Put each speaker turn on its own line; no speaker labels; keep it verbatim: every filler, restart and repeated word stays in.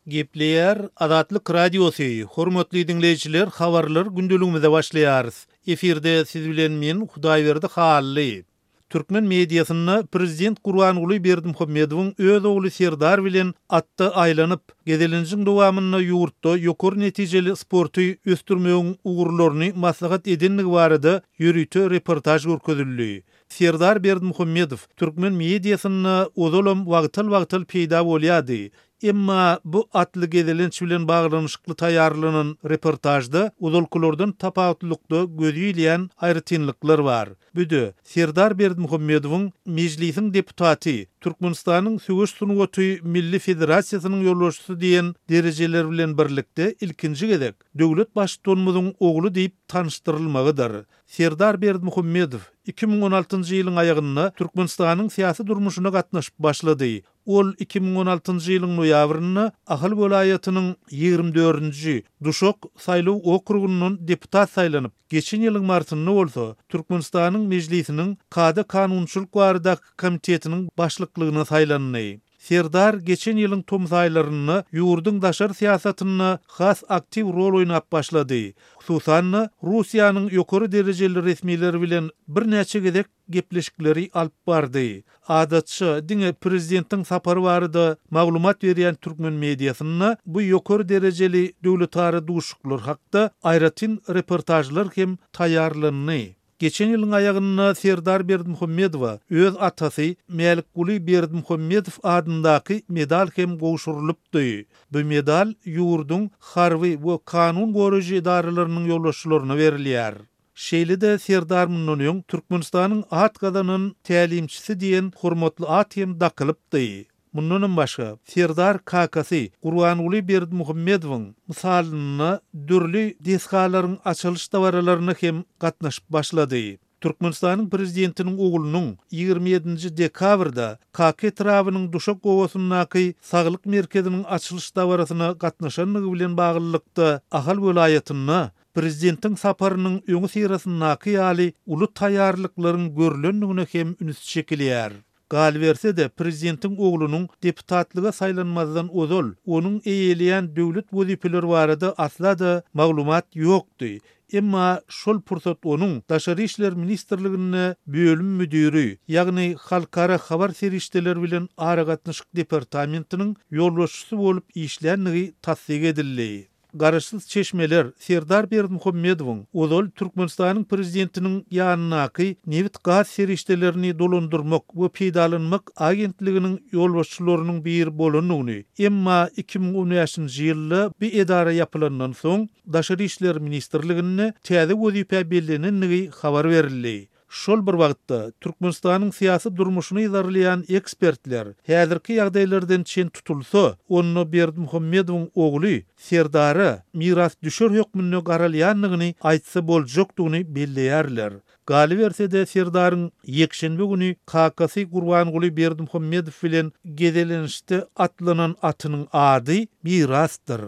Gepleýär Azatlyk Radiosy, hormatly diňleýjiler, habarlar gündeligimize başlaýarys. Efirde siz bilen men Hudaýberdi Hally. Türkmen mediasynda prezident Gurbanguly Berdimuhamedowyň öz ogly Serdar bilen atda aýlanyp, gezelenjiň dowamynda ýurtda ýokary netijeli sporty ösdürmegiň ugurlaryny maslahat edendigi barada ýörite reportaž görkezildi. Serdar Berdimuhamedow türkmen mediasynda ozalam wagtal-wagtal peýda bolýardy. Emma bu atly gezelenç bilen baglanyşykly taýýarlanan reportažda ozalkylardan tapawutlylykda göze ilýän aýratynlyklar bar. Bu-da Serdar Berdimuhamedowyň Mejlisiň deputaty, Türkmenistanyň Söweş sungaty Milli federasiýasynyň ýolbaşçysy diýen derejeler bilen birlikde ilkinji gezek döwlet baştutanymyzyň ogly diýip tanyşdyrylmagydyr. Serdar Berdimuhamedow iki müň on altynjy ýylyň aýagynda Türkmenistanyň syýasy durmuşyna gatnaşyp başlady. Ol iki müň on altynjy ýylyň noýabrynda Ahal welaýatynyň ýigrimi dördünji Duşak saýlaw okrugyndan deputat saýlanyp, geçen ýylyň martynda bolsa Türkmenistanyň Mejlisiniň kada-kanunçylyk baradaky komitetiniň başlyklygyna saýlandy. Serdar geçen ýylyň tomus aýlarynda ýurduň daşary syýasatynda has aktiw rol oýnap başlady. Hususan-da, Russiýanyň ýokary derejeli resmileri bilen birnäçe gezek gepleşikleri alyp bardy. Adatça diňe prezidentiň sapary barada maglumat berýän türkmen mediasynda bu ýokary derejeli döwletara duşuşyklar hakda aýratyn reportažlar hem taýýarlandy. Geçen ýylyň aýagynda Serdar Berdimuhamedowa öz atasy Mälikguly Berdimuhamedow adyndaky medal hem gowşurylypdy. Bu medal ýurduň harby we kanun goraýjy edaralarynyň ýolbaşçylaryna berilýär. Şeýle-de Serdar mundan öň Türkmenistanyň at gazanan tälimçisi diýen hormatly at hem dakylypdy. Mundanam başga Serdar kakasy Gurbanguly Berdimuhamedowyň mysalynda dürli desgalaryň açylyş dabaralaryna hem gatnaşyp başlady. Türkmenistanyň prezidentiniň oglunyň ýigrimi ýedinji dekabrda Kaka etrabynyň Duşak obasyndaky saglyk merkeziniň açylyş dabarasyna gatnaşandygy bilen baglylykda Ahal welaýatynda prezidentiň saparynyň öňi syrasyndaky ýaly uly taýýarlyklaryň görülendigine hem üns çekilýär. Galyberse-de prezidentiň oglunyň deputatlyga saýlanmazdan ozal onuň eýeleýän döwlet wezipeleri barada asla-da maglumat ýokdy. Emma şol pursat onuň Daşary işler ministrliginde bölüm müdiri, ýagny Halkara habar serişdeleri bilen aragatnaşyk departamentiniň ýolbaşçysy bolup işländigi tassyk edildi. Garaşsyz çeşmeler Serdar Berdimuhamedowyň ozal Türkmenistanyň prezidentiniň ýanyndaky nebit gaz serişdelerini dolandyrmak we peýdalanmak agentliginiň ýolbaşçylarynyň biri bolandygyny, emma iki müň on bäşinji ýylda bir edara ýapylandan soň Daşary işler ministrliginde täze wezipe bellenendigi habar berildi. Şol bir wagtda Türkmenistanyň syýasy durmuşyny yzarlaýan ekspertler häzirki ýagdaýlardan çen tutulsa, onda Berdimuhamedowyň ogly Serdara mirasdüşer hökmünde garalýandygyny aýtsa boljakdygyny belleýärler. Galyberse-de Serdaryň ýekşenbe güni kakasy Gurbanguly Berdimuhamedow bilen gezelenişde atlanan atynyň ady Mirasdyr.